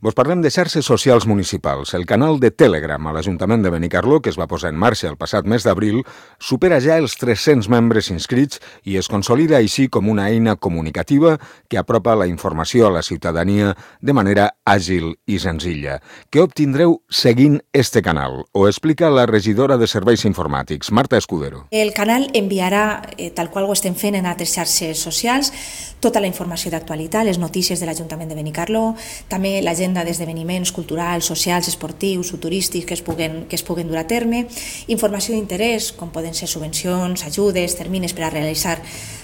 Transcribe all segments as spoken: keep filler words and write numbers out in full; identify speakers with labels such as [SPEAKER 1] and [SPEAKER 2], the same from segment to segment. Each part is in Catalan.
[SPEAKER 1] Vos parlem de xarxes socials municipals. El canal de Telegram a l'Ajuntament de Benicarló, que es va posar en marxa el passat mes d'abril, supera ja els tres-cents membres inscrits i es consolida així com una eina comunicativa que apropa la informació a la ciutadania de manera àgil i senzilla. Què obtindreu seguint este canal? Ho explica la regidora de Serveis Informàtics, Marta Escudero.
[SPEAKER 2] El canal enviarà, eh, tal qual ho estem fent en altres xarxes socials, tota la informació d'actualitat, les notícies de l'Ajuntament de Benicarló, també l'agenda d'esdeveniments culturals, socials, esportius o turístics que es puguen, que es puguen dur a terme, informació d'interès, com poden ser subvencions, ajudes, termines per a realitzar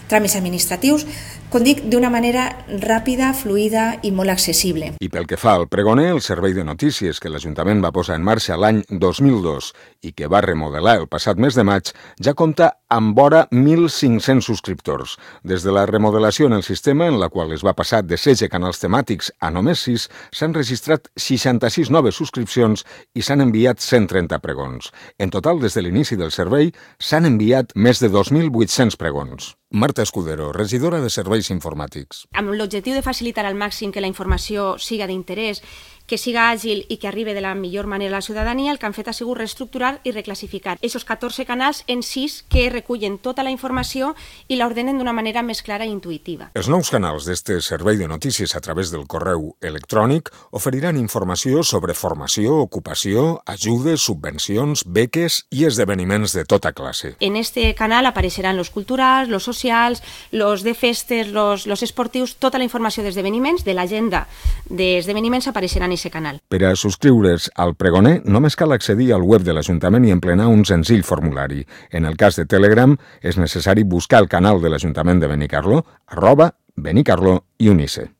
[SPEAKER 2] tràmits administratius, com dic, d'una manera ràpida, fluida i molt accessible.
[SPEAKER 1] I pel que fa al pregoner, el servei de notícies que l'Ajuntament va posar en marxa l'any dos mil dos i que va remodelar el passat mes de maig, ja compta amb vora mil cinc-cents subscriptors. Des de la remodelació en el sistema, en la qual es va passar de setze canals temàtics a només sis, s'han registrat seixanta-sis noves subscripcions i s'han enviat cent trenta pregons. En total, des de l'inici del servei, s'han enviat més de dos mil vuit-cents pregons. Marta Escudero, regidora de Serveis Informàtics.
[SPEAKER 3] Amb l'objectiu de facilitar al màxim que la informació siga d'interès, que siga àgil i que arribi de la millor manera a la ciutadania, el que han fet ha sigut reestructurar i reclassificar aquests catorze canals en sis que recullen tota la informació i l'ordenen d'una manera més clara i intuïtiva.
[SPEAKER 1] Els nous canals d'este servei de notícies a través del correu electrònic oferiran informació sobre formació, ocupació, ajudes, subvencions, beques i esdeveniments de tota classe.
[SPEAKER 3] En este canal apareixeran los culturals, los socials, los de festes, los, los esportius, tota la informació d'esdeveniments, de l'agenda d'esdeveniments apareixeran en aquest canal.
[SPEAKER 1] Per a subscriure's al pregoner, només cal accedir al web de l'Ajuntament i emplenar un senzill formulari. En el cas de Telegram, és necessari buscar el canal de l'Ajuntament de Benicarló, arroba Benicarló i unir-se.